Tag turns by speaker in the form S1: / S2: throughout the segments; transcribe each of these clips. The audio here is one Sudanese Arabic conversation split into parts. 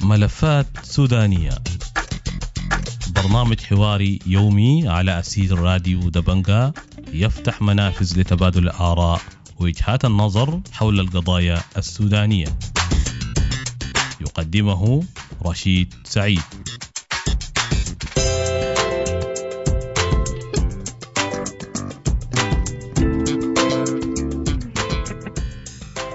S1: ملفات سودانية، برنامج حواري يومي على أسير راديو دبنجا، يفتح منافذ لتبادل الآراء ووجهات النظر حول القضايا السودانية. يقدمه رشيد سعيد.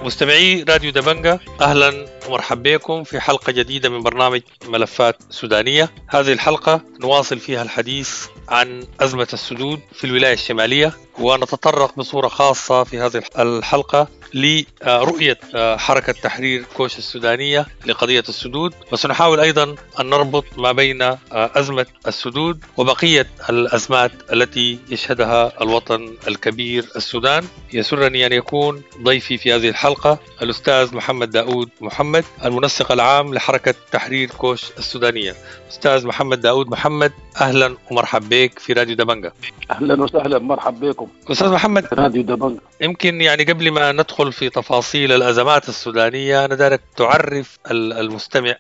S2: مستمعي راديو دبنجا، أهلا ومرحبا بكم في حلقة جديدة من برنامج ملفات سودانية. هذه الحلقة نواصل فيها الحديث عن أزمة السدود في الولاية الشمالية، ونتطرق بصورة خاصة في هذه الحلقة لرؤية حركة تحرير كوش السودانية لقضية السدود، وسنحاول أيضا أن نربط ما بين أزمة السدود وبقية الأزمات التي يشهدها الوطن الكبير السودان. يسرني أن يكون ضيفي في هذه الحلقة الأستاذ محمد داود محمد، المنسق العام لحركة تحرير كوش السودانية. أستاذ محمد داود محمد، أهلا ومرحبا بك في راديو دبنجا.
S3: أهلا وسهلا، مرحبا بكم
S2: أستاذ محمد.
S3: راديو دبنجا.
S2: يمكن يعني قبل ما ندخل في تفاصيل الأزمات السودانية، أنا دارك تعرف المستمع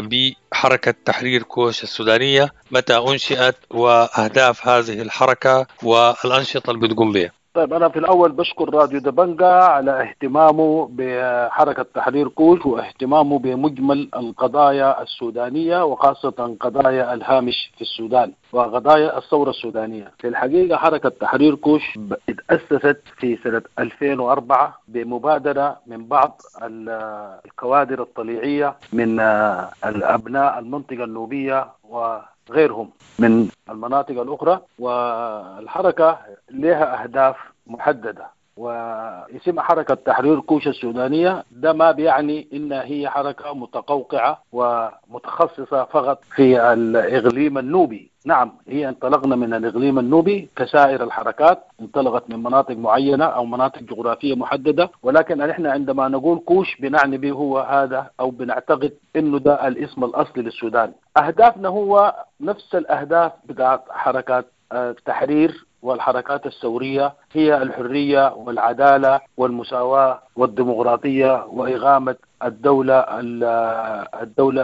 S2: بحركة تحرير كوش السودانية، متى أنشئت وأهداف هذه الحركة والأنشطة اللي بتقوم بها.
S3: طيب، أنا في الأول بشكر راديو دبنجا على اهتمامه بحركة تحرير كوش واهتمامه بمجمل القضايا السودانية، وخاصة قضايا الهامش في السودان وقضايا الثورة السودانية. في الحقيقة حركة تحرير كوش اتأسست في سنة 2004 بمبادرة من بعض الكوادر الطليعية من الأبناء المنطقة النوبية وغيرهم من المناطق الأخرى، والحركة لها أهداف محددة واسم حركة تحرير كوش السودانية. ده ما بيعني إن هي حركة متقوقعة ومتخصصة فقط في الإقليم النوبي. نعم، هي انطلقنا من الإقليم النوبي كسائر الحركات، انطلقت من مناطق معينة أو مناطق جغرافية محددة، ولكن نحن عندما نقول كوش بنعني به هو هذا، أو بنعتقد إنه ده الاسم الأصلي للسودان. أهدافنا هو نفس الأهداف بتاعت حركات التحرير والحركات الثورية، هي الحرية والعدالة والمساواة والديمقراطية وإقامة الدولة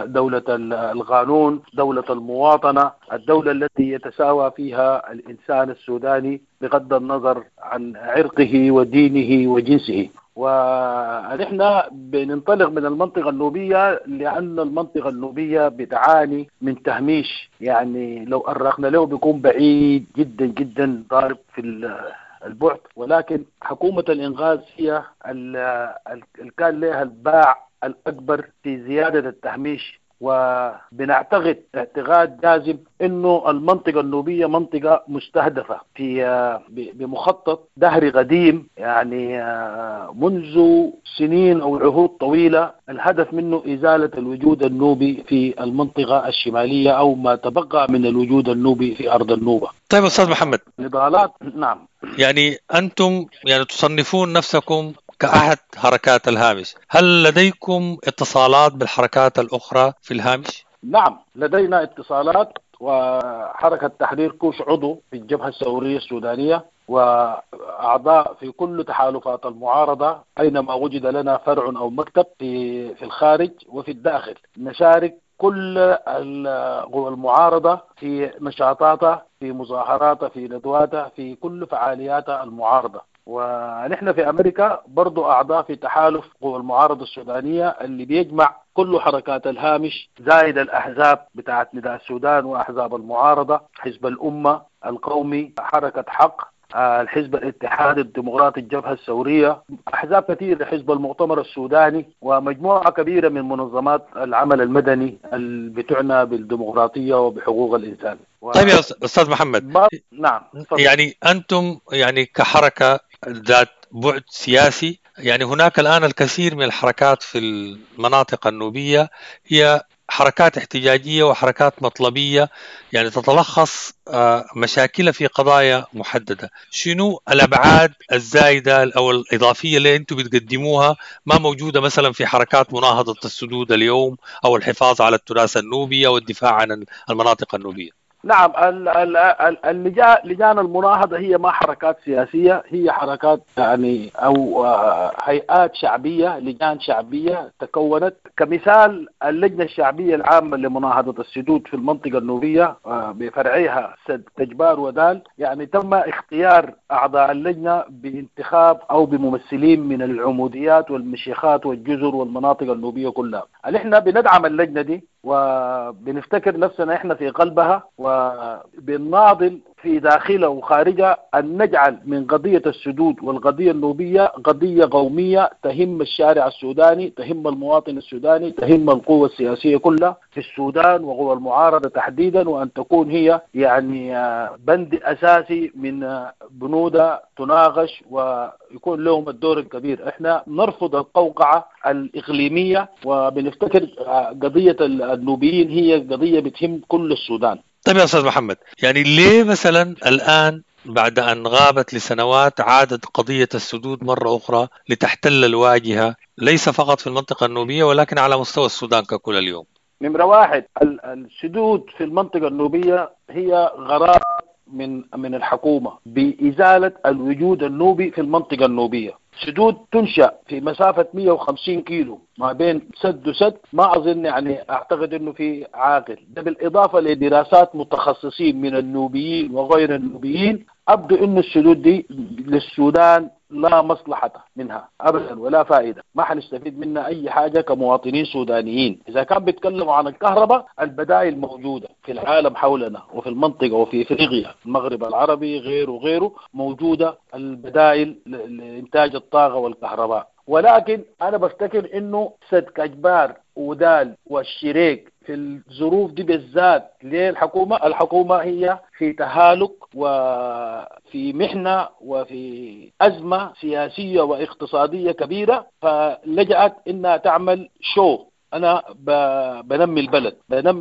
S3: دولة القانون، دولة المواطنة، الدولة التي يتساوى فيها الإنسان السوداني بغض النظر عن عرقه ودينه وجنسه. ونحن بننطلق من المنطقة النوبية لأن المنطقة النوبية بتعاني من تهميش، يعني لو أرخنا له بيكون بعيد جدا جدا، ضارب في البعد. ولكن حكومة الإنغاز هي اللي كان لها الباع الأكبر في زيادة التهميش، وبنعتقد اعتقاد جازم انه المنطقة النوبية منطقة مستهدفة في بمخطط دهري قديم، يعني منذ سنين او عهود طويلة، الهدف منه ازالة الوجود النوبي في المنطقة الشمالية او ما تبقى من الوجود النوبي في ارض النوبة.
S2: طيب استاذ محمد،
S3: نضالات. نعم،
S2: يعني انتم يعني تصنفون نفسكم كأحد حركات الهامش، هل لديكم اتصالات بالحركات الأخرى في الهامش؟
S3: نعم، لدينا اتصالات، وحركة تحرير كوش عضو في الجبهة الثورية السودانية وأعضاء في كل تحالفات المعارضة أينما وجد لنا فرع أو مكتب في الخارج وفي الداخل. نشارك كل المعارضة في نشاطاتها، في مظاهراتها، في ندواتها، في كل فعالياتها المعارضة. ونحن في أمريكا برضو أعضاء في تحالف قوى المعارضة السودانية اللي بيجمع كل حركات الهامش، زائد الأحزاب بتاعت نداء السودان وأحزاب المعارضة، حزب الأمة القومي، حركة حق، الحزب الاتحادي الديمقراطي، الجبهة الثورية، أحزاب كثيرة، حزب المؤتمر السوداني، ومجموعة كبيرة من منظمات العمل المدني اللي بتعنى بالديمقراطية وبحقوق الإنسان.
S2: طيب يا أستاذ محمد،
S3: نعم،
S2: يعني أنتم يعني كحركة ذات بعد سياسي، يعني هناك الآن الكثير من الحركات في المناطق النوبية هي حركات احتجاجية وحركات مطلبية، يعني تتلخص مشاكلها في قضايا محددة. شنو الأبعاد الزايدة أو الإضافية اللي أنتم بتقدموها ما موجودة مثلا في حركات مناهضة السدود اليوم أو الحفاظ على التراث النوبي أو الدفاع عن المناطق النوبية؟
S3: نعم، اللجان المناهضة هي ما حركات سياسية، هي حركات يعني أو هيئات شعبية، لجان شعبية تكونت. كمثال اللجنة الشعبية العامة لمناهضة السدود في المنطقة النوبية بفرعها سد كجبار ودال، يعني تم اختيار أعضاء اللجنة بانتخاب أو بممثلين من العموديات والمشيخات والجزر والمناطق النوبية كلها. احنا بندعم اللجنة دي وبنفتكر نفسنا احنا في قلبها، وبنناضل في داخلها وخارجها أن نجعل من قضية السدود والقضية النوبية قضية قومية تهم الشارع السوداني، تهم المواطن السوداني، تهم القوة السياسية كلها في السودان وقوى المعارضة تحديدا، وأن تكون هي يعني بند أساسي من بنودها تناقش ويكون لهم الدور الكبير. احنا نرفض القوقعة الإقليمية، وبنفتكر قضية النوبيين هي قضية بتهم كل السودان.
S2: طيب يا أستاذ محمد، يعني ليه مثلا الآن بعد أن غابت لسنوات عادت قضية السدود مرة أخرى لتحتل الواجهة، ليس فقط في المنطقة النوبية ولكن على مستوى السودان ككل اليوم؟
S3: نمرة واحد، السدود في المنطقة النوبية هي غرار من الحكومة بإزالة الوجود النوبي في المنطقة النوبية. سدود تنشأ في مسافة 150 كيلو ما بين سد وسد، ما أظن يعني أعتقد أنه في عاقل. ده بالإضافة لدراسات متخصصين من النوبيين وغير النوبيين، أبدو أنه السدود دي للسودان لا مصلحة منها أبدا ولا فائدة، ما حنستفيد منها أي حاجة كمواطنين سودانيين. إذا كان بيتكلموا عن الكهرباء، البدائل موجودة في العالم حولنا وفي المنطقة وفي إفريقيا، المغرب العربي غيره وغيره، موجودة البدائل لإنتاج الطاقة والكهرباء. ولكن أنا بفتكر إنه سد كجبار ودال والشريك في الظروف دي بالذات ليه الحكومة هي في تهالك وفي محنة وفي أزمة سياسية واقتصادية كبيرة، فلجأت إنها تعمل شو، أنا بنمي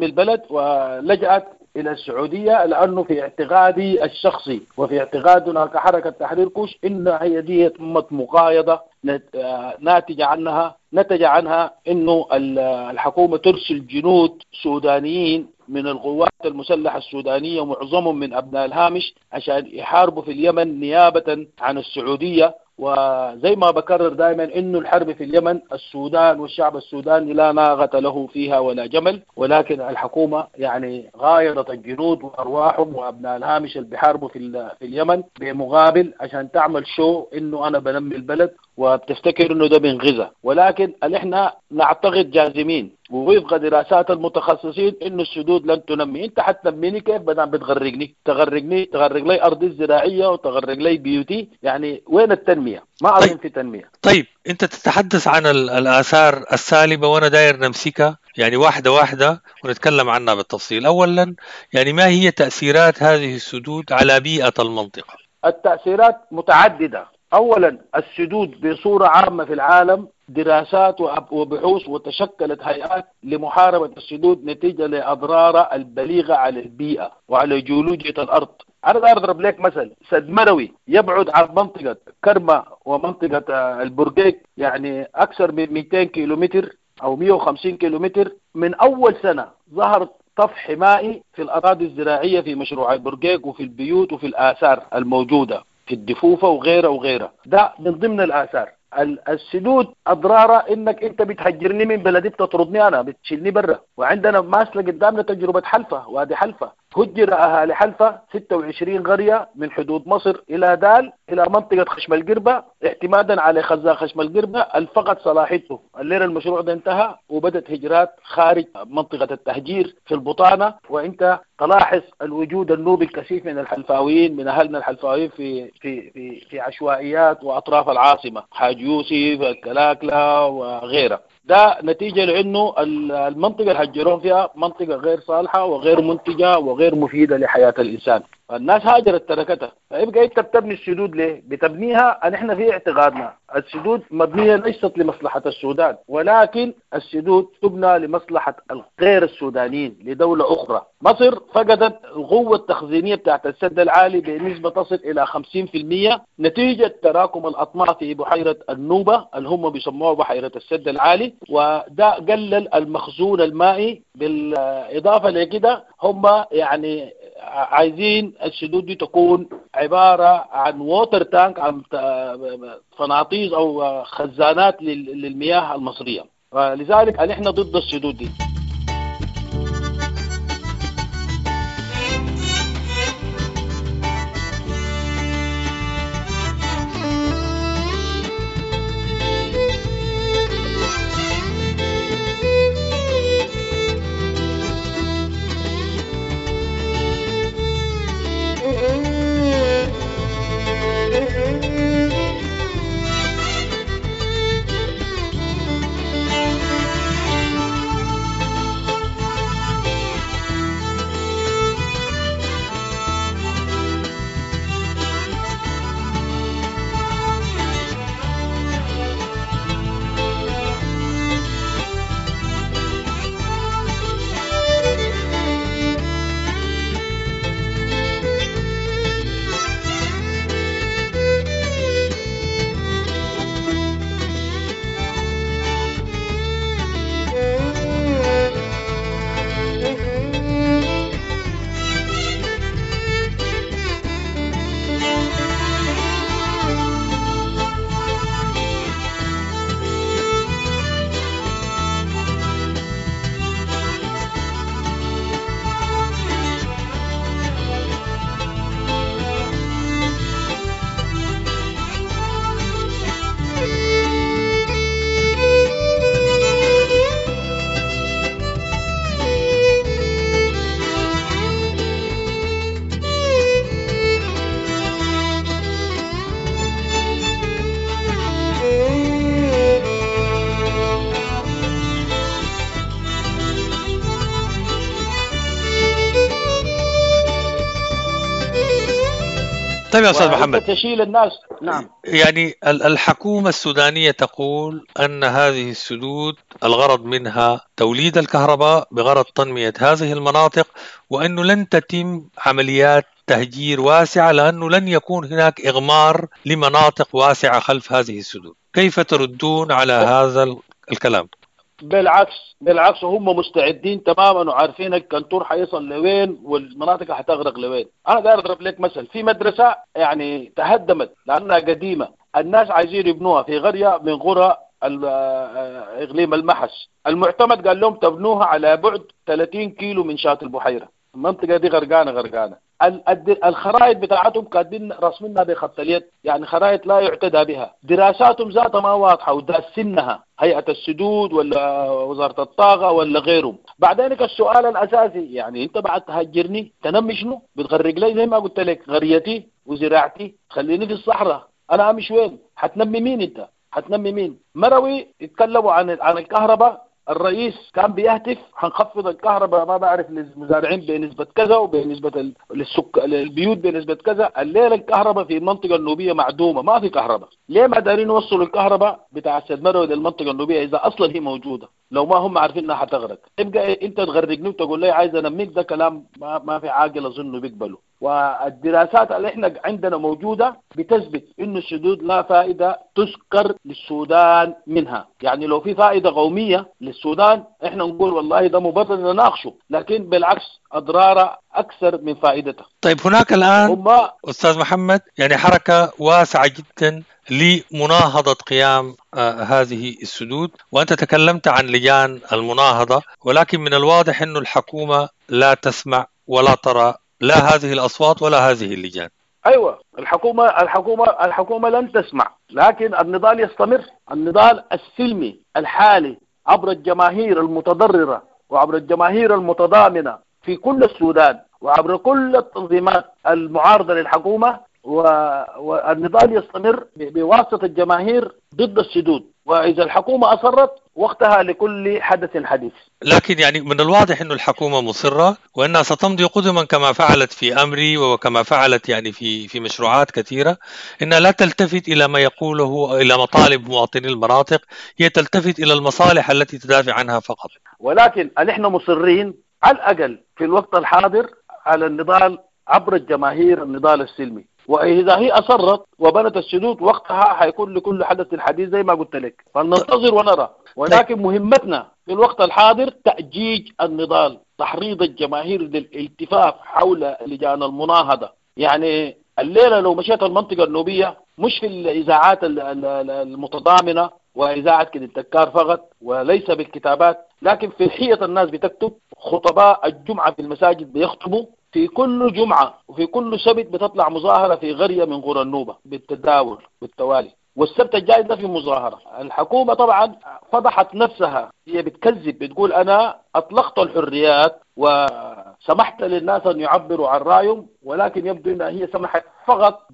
S3: البلد، ولجأت إلى السعودية، لأنه في اعتقادي الشخصي وفي اعتقادنا كحركة تحرير كوش إن هي دي تمت مقايضة نتج عنها إنه الحكومة ترسل جنود سودانيين من القوات المسلحة السودانية ومعظمهم من أبناء الهامش عشان يحاربوا في اليمن نيابة عن السعودية. وزي ما بكرر دائما انه الحرب في اليمن السودان والشعب السوداني لا ناغة له فيها ولا جمل، ولكن الحكومة يعني غايضت الجنود وارواحهم وابناء الهامش اللي بيحاربوا في اليمن بمقابل عشان تعمل شو انه انا بنمي البلد، وبتفتكر انه ده بينغزها. ولكن احنا نعتقد جازمين ووفق دراسات المتخصصين انه السدود لن تنمي. انت حتنميني كيف بدل بتغرقني؟ تغرق لي ارضي الزراعيه وتغرق لي بيوتي، يعني وين التنميه؟ ما اظن في تنميه.
S2: طيب انت تتحدث عن الاثار السالبه وانا داير نمسكها يعني واحده واحده ونتكلم عنها بالتفصيل. اولا يعني ما هي تاثيرات هذه السدود على بيئه المنطقه؟
S3: التاثيرات متعدده. اولا السدود بصوره عامه في العالم دراسات وبحوث وتشكلت هيئات لمحاربة السدود نتيجة لأضرارها البليغة على البيئة وعلى جيولوجيا الأرض. أنا أضرب لك مثل، سد مروي يبعد عن منطقة كرمة ومنطقة البرقيق يعني أكثر من 200 كيلومتر أو 150 كيلومتر. من أول سنة ظهر طفح مائي في الأراضي الزراعية في مشروع البرقيق وفي البيوت وفي الآثار الموجودة في الدفوفة وغيرها وغيرها. ده من ضمن الآثار. السدود أضرارها إنك أنت بتهجرني من بلدي، بتطردني أنا، بتشيلني برا. وعندنا ماسلة قدامنا تجربة حلفة، وادي حلفة هجر أهالي حلفة 26 قرية من حدود مصر إلى دال إلى منطقة خشم القربة اعتمادا على خزان خشم القربة الفقد صلاحيته. الليلة المشروع ده انتهى وبدت هجرات خارج منطقة التهجير في البطانة. وانت تلاحظ الوجود النوبي الكثيف من الحلفاويين، من أهلنا الحلفاويين في في في في عشوائيات وأطراف العاصمة، حاج يوسف، الكلاكلة وغيرها. ده نتيجة لأنه المنطقة اللي هجرون فيها منطقة غير صالحة وغير منتجة وغير مفيدة لحياة الإنسان. الناس هاجرت تركتها. فيبقى انت بتبني السدود ليه؟ بتبنيها نحن في اعتقادنا السدود مبنية ليست لمصلحة السودان، ولكن السدود تبنى لمصلحة الغير السودانيين لدولة اخرى. مصر فقدت القوة التخزينيه بتاعت السد العالي بنسبة تصل الى 50% نتيجة تراكم الاطماع في بحيرة النوبة اللي هم بيسموها بحيرة السد العالي، وده قلل المخزون المائي. بالاضافة لكده هم يعني عايزين السدود دي تكون عبارة عن water tank، عن فناطيز او خزانات للمياه المصرية. لذلك نحن ضد السدود دي.
S2: طيب يا أستاذ محمد،
S3: تشيل الناس. نعم،
S2: يعني الحكومة السودانية تقول أن هذه السدود الغرض منها توليد الكهرباء بغرض تنمية هذه المناطق، وأنه لن تتم عمليات تهجير واسعة لأنه لن يكون هناك إغمار لمناطق واسعة خلف هذه السدود. كيف تردون على هذا الكلام؟
S3: بالعكس هم مستعدين تماما وعارفين الكنتور حيصل لوين والمناطق حتغرق لوين. انا داير اضرب لك مثل، في مدرسه يعني تهدمت لانها قديمة، الناس عايزين يبنوها في قرية من قرى اقليم المحس. المعتمد قال لهم تبنوها على بعد 30 كيلو من شاطئ البحيرة، المنطقة دي غرقانة. الخرائط بتاعتهم كاتبين رسمينها بخط اليد، يعني خرائط لا يعتدى بها، دراساتهم ذاتها ما واضحة وداسنها هيئة السدود ولا وزارة الطاقة ولا غيرهم. بعدين السؤال الاساسي، يعني انت بعد تهجرني تنمي شنو؟ بتغرق لي زي ما قلت لك غريتي وزراعتي، خليني في الصحراء، انا امشي وين؟ حتنمي مين انت؟ حتنمي مين؟ مروي يتكلموا عن الكهرباء، الرئيس كان بيهتف حنخفض الكهرباء ما بعرف للمزارعين بنسبة كذا وبنسبة للبيوت بنسبة كذا. الليلة الكهرباء في المنطقة النوبية معدومة، ما في كهرباء. ليه ما دارين يوصلوا الكهرباء بتاع السد مروي للمنطقة النوبية إذا أصلا هي موجودة؟ لو ما هم عارفين انها حتغرق، تبقى انت تغرقني وتقول لي عايز انميك، ده كلام ما في عاقل اظنه بيقبله. والدراسات اللي احنا عندنا موجودة بتثبت انه السدود لا فائدة تذكر للسودان منها. يعني لو في فائدة قومية للسودان احنا نقول والله ده مبرر نناقشه، لكن بالعكس اضراره اكثر من فائدتها.
S2: طيب هناك الان استاذ محمد يعني حركة واسعة جدا لمناهضة قيام هذه السدود، وأنت تكلمت عن لجان المناهضة، ولكن من الواضح أن الحكومة لا تسمع ولا ترى لا هذه الأصوات ولا هذه اللجان.
S3: أيوة، الحكومة لن تسمع، لكن النضال يستمر، النضال السلمي الحالي عبر الجماهير المتضررة وعبر الجماهير المتضامنة في كل السودان وعبر كل التنظيمات المعارضة للحكومة، والنضال يستمر بواسطة الجماهير ضد السدود. وإذا الحكومة أصرت وقتها لكل حدث حديث.
S2: لكن يعني من الواضح أن الحكومة مصرة وأنها ستمضي قدما كما فعلت في أمري وكما فعلت يعني في مشروعات كثيرة، أنها لا تلتفت إلى ما يقوله، إلى مطالب مواطني المناطق، هي تلتفت إلى المصالح التي تدافع عنها فقط.
S3: ولكن نحن مصرين على الأقل في الوقت الحاضر على النضال عبر الجماهير، النضال السلمي. وإذا هي أصرت وبنت السدود وقتها حيكون لكل حدث حديث زي ما قلت لك، فلننتظر ونرى. ولكن مهمتنا في الوقت الحاضر تأجيج النضال، تحريض الجماهير للالتفاف حول لجان المناهضة. يعني الليلة لو مشيت المنطقة النوبية مش في الإذاعات المتضامنة وإذاعة كده التكار فقط وليس بالكتابات، لكن في حية الناس بتكتب، خطباء الجمعة في المساجد بيخطبوا في كل جمعة وفي كل سبت بتطلع مظاهرة في قرية من قرى النوبة بالتداول بالتوالي، والسبت الجاي ده في مظاهرة. الحكومة طبعا فضحت نفسها، هي بتكذب، بتقول أنا أطلقت الحريات وسمحت للناس أن يعبروا عن رأيهم، ولكن يبدو أنها هي سمحت فقط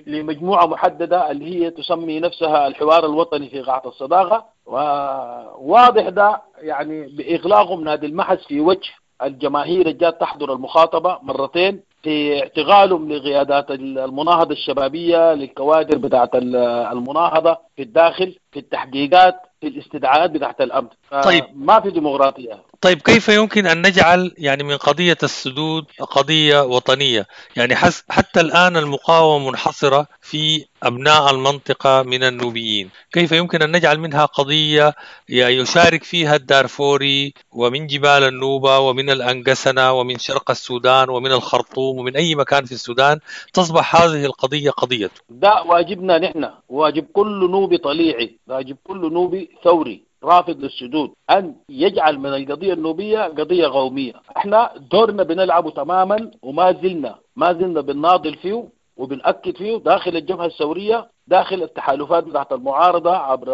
S3: لمجموعة محددة اللي هي تسمي نفسها الحوار الوطني في قاعة الصداقة. وواضح ده يعني بإغلاقهم نادي المحس في وجه الجماهير الجات تحضر المخاطبة مرتين، في اعتقالهم لقيادات المناهضة الشبابية، للكوادر بتاعت المناهضة في الداخل، في التحقيقات، في الاستدعاءات بتاعت الأمن.
S2: طيب،
S3: ما في ديمقراطية.
S2: طيب، كيف يمكن أن نجعل يعني من قضية السدود قضية وطنية؟ يعني حتى الآن المقاومة منحصرة في أبناء المنطقة من النوبيين، كيف يمكن أن نجعل منها قضية يشارك فيها الدارفوري ومن جبال النوبة ومن الأنقسنة ومن شرق السودان ومن الخرطوم ومن أي مكان في السودان، تصبح هذه القضية قضية؟
S3: ده واجبنا نحن، واجب كل نوبي طليعي، واجب كل نوبي ثوري رافض للسدود، أن يجعل من القضية النوبية قضية قومية. احنا دورنا بنلعبه تماما وما زلنا بنناضل فيه وبنأكد فيه داخل الجبهة الثورية، داخل التحالفات بتاعت المعارضة، عبر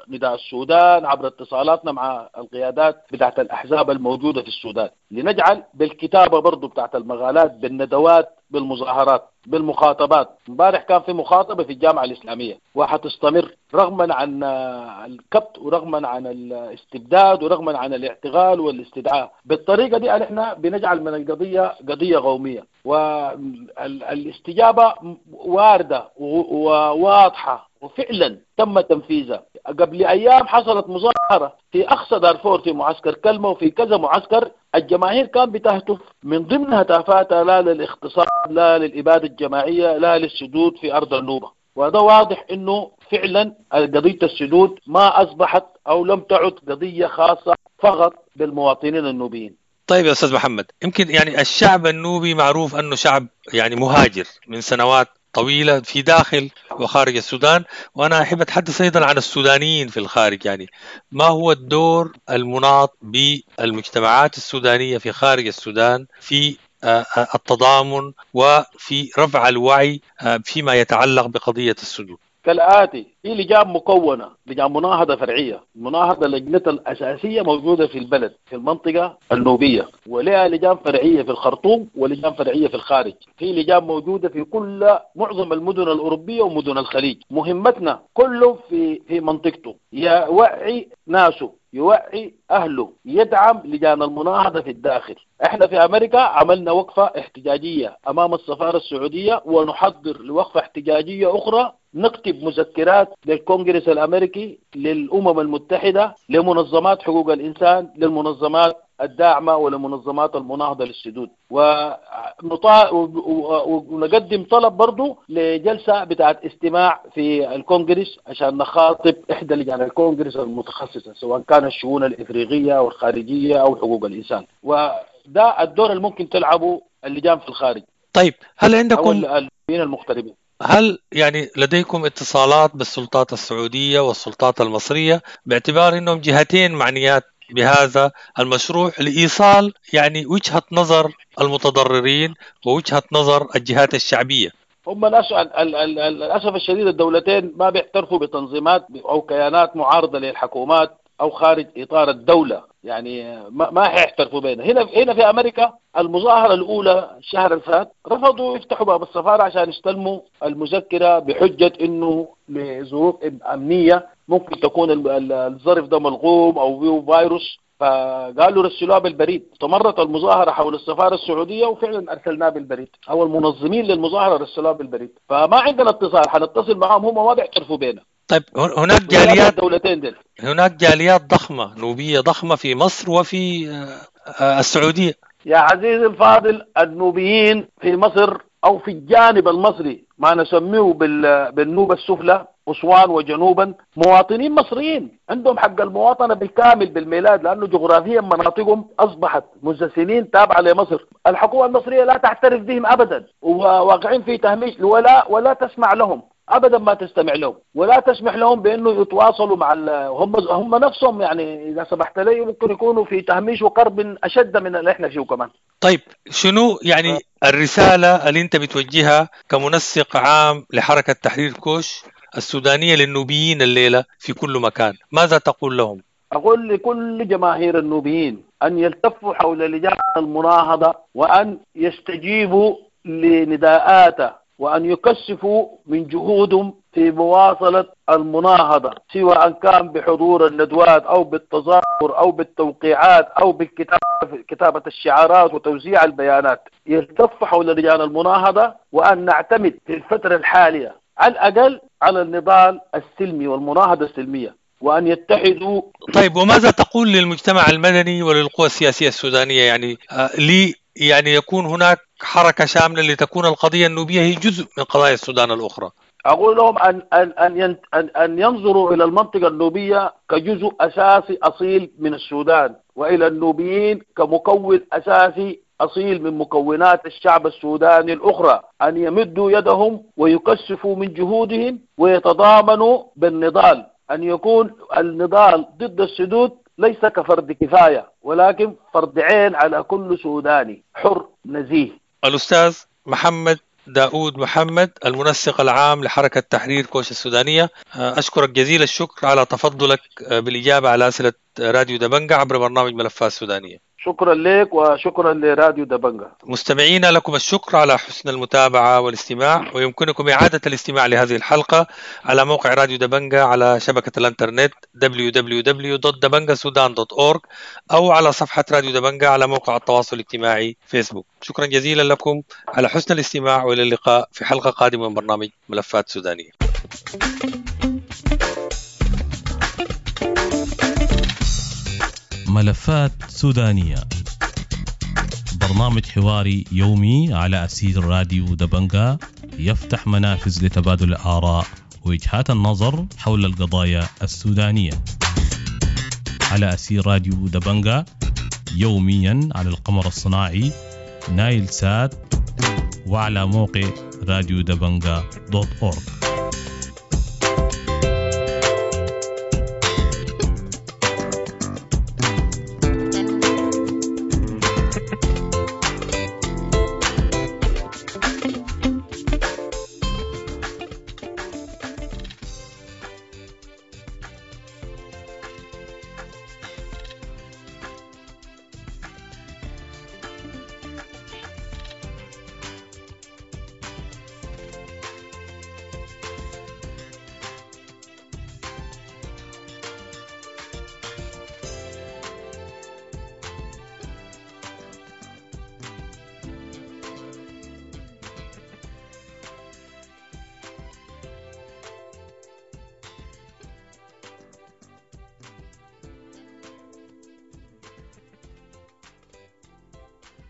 S3: نداء السودان، عبر اتصالاتنا مع القيادات بتاعت الأحزاب الموجودة في السودان، لنجعل بالكتابة برضو بتاعت المقالات، بالندوات، بالمظاهرات، بالمخاطبات. امبارح كان في مخاطبة في الجامعة الإسلامية وحتستمر رغما عن الكبت ورغما عن الاستبداد ورغما عن الاعتقال والاستدعاء. بالطريقة دي احنا بنجعل من القضية قضية قومية، والاستجابة واردة وواضحة وفعلا تم تنفيذها. قبل أيام حصلت مظاهرة في أقصى دارفور في معسكر كلمة وفي كذا معسكر، الجماهير كان بتهتف من ضمن هتافاتها لا للاغتصاب، لا للإبادة الجماعية، لا للسدود في أرض النوبة. وهذا واضح أنه فعلا قضية السدود ما أصبحت أو لم تعد قضية خاصة فقط بالمواطنين النوبيين.
S2: طيب يا أستاذ محمد، يمكن يعني الشعب النوبي معروف أنه شعب يعني مهاجر من سنوات طويلة في داخل وخارج السودان، وأنا أحب أتحدث أيضا عن السودانيين في الخارج. يعني ما هو الدور المناط بالمجتمعات السودانية في خارج السودان في التضامن وفي رفع الوعي فيما يتعلق بقضية السدود؟
S3: كالآتي: في لجان مكونة، لجان مناهضة فرعية، مناهضة لجنة الأساسية موجودة في البلد في المنطقة النوبية، ولها لجان فرعية في الخرطوم ولجان فرعية في الخارج. في لجان موجودة في كل معظم المدن الأوروبية ومدن الخليج. مهمتنا كله في منطقته يوعي ناسه، يوعي أهله، يدعم لجان المناهضة في الداخل. احنا في أمريكا عملنا وقفة احتجاجية أمام السفارة السعودية، ونحضر لوقفة احتجاجية أخرى، نكتب مذكرات للكونغرس الأمريكي، للأمم المتحدة، لمنظمات حقوق الإنسان، للمنظمات الداعمة ولمنظمات المناهضة للسدود، ونقدم طلب برضو لجلسة بتاعت استماع في الكونغرس عشان نخاطب إحدى لجان الكونغرس المتخصصة، سواء كان الشؤون الإفريقية والخارجية أو حقوق الإنسان. وده الدور اللي ممكن تلعبه اللجان في الخارج.
S2: طيب، هل عندكم
S3: المغتربين،
S2: هل يعني لديكم اتصالات بالسلطات السعودية والسلطات المصرية باعتبار أنهم جهتين معنيات بهذا المشروع لإيصال يعني وجهة نظر المتضررين ووجهة نظر الجهات الشعبية؟
S3: هم للأسف الشديد الدولتين ما بيعترفوا بتنظيمات أو كيانات معارضة للحكومات أو خارج إطار الدولة. يعني ما حيعترفوا بينا. هنا في امريكا المظاهرة الاولى الشهر الفات رفضوا يفتحوا باب السفارة عشان يستلموا المذكرة بحجة انه لظروف امنية ممكن تكون الظرف ده ملغوم او فيه فيروس، فقالوا رسلوها بالبريد. استمرت المظاهرة حول السفارة السعودية وفعلا ارسلناها بالبريد، او المنظمين للمظاهره رسلوها بالبريد، فما عندنا اتصال، حنتصل معهم هم ما بيعترفوا بينا.
S2: طيب هناك جاليات
S3: الدولتين دول،
S2: هناك جاليات ضخمة نوبيه ضخمة في مصر وفي السعودية.
S3: يا عزيزي الفاضل، النوبيين في مصر او في الجانب المصري ما نسميه بالنوبه السفلى أسوان وجنوبا مواطنين مصريين عندهم حق المواطنة بالكامل بالميلاد، لأنه جغرافيا مناطقهم أصبحت منذ سنين تابعة لمصر. الحكومة المصرية لا تعترف بهم أبدا، وواقعين في تهميش، ولا تسمع لهم أبدا، ما تستمع لهم ولا تسمح لهم بأنه يتواصلوا مع هم نفسهم. يعني إذا سمحت لي ممكن يكونوا في تهميش وقرب أشد من اللي إحنا فيه كمان.
S2: طيب شنو يعني الرسالة اللي أنت بتوجهها كمنسق عام لحركة تحرير كوش السودانية للنوبيين الليلة في كل مكان، ماذا تقول لهم؟
S3: أقول لكل جماهير النوبيين أن يلتفوا حول لجان المناهضة وأن يستجيبوا لنداءاته وأن يكثفوا من جهودهم في مواصلة المناهضة، سواء كان بحضور الندوات أو بالتظاهر أو بالتوقيعات أو بكتابة الشعارات وتوزيع البيانات. يلتف حول لجان المناهضة، وأن نعتمد في الفترة الحالية على الأقل على النضال السلمي والمناهضة السلمية، وأن يتحدوا.
S2: طيب وماذا تقول للمجتمع المدني وللقوى السياسية السودانية؟ يعني يعني يكون هناك حركة شاملة لتكون القضية النوبية هي جزء من قضايا السودان الأخرى.
S3: أقول لهم أن أن أن أن أن ينظروا إلى المنطقة النوبية كجزء أساسي أصيل من السودان، وإلى النوبيين كمكون أساسي أصيل من مكونات الشعب السوداني الأخرى، أن يمدوا يدهم ويكثفوا من جهودهم ويتضامنوا بالنضال، أن يكون النضال ضد السدود ليس كفرد كفاية ولكن فرد عين على كل سوداني حر نزيه.
S2: الأستاذ محمد داود محمد، المنسق العام لحركة تحرير كوش السودانية، أشكرك جزيل الشكر على تفضلك بالإجابة على أسئلة راديو دبنجة عبر برنامج ملفات سودانية.
S3: شكرا لك وشكرا لراديو دبنجة.
S2: مستمعينا لكم الشكر على حسن المتابعة والاستماع، ويمكنكم إعادة الاستماع لهذه الحلقة على موقع راديو دبنجة على شبكة الانترنت www.dabangasudan.org أو على صفحة راديو دبنجة على موقع التواصل الاجتماعي فيسبوك. شكرا جزيلا لكم على حسن الاستماع، وإلى اللقاء في حلقة قادمة من برنامج ملفات سودانية.
S1: ملفات سودانية، برنامج حواري يومي على أسير راديو دبنجة، يفتح منافذ لتبادل الآراء ووجهات النظر حول القضايا السودانية على أسير راديو دبنجة، يوميا على القمر الصناعي نايل سات وعلى موقع راديو دبنجة .org.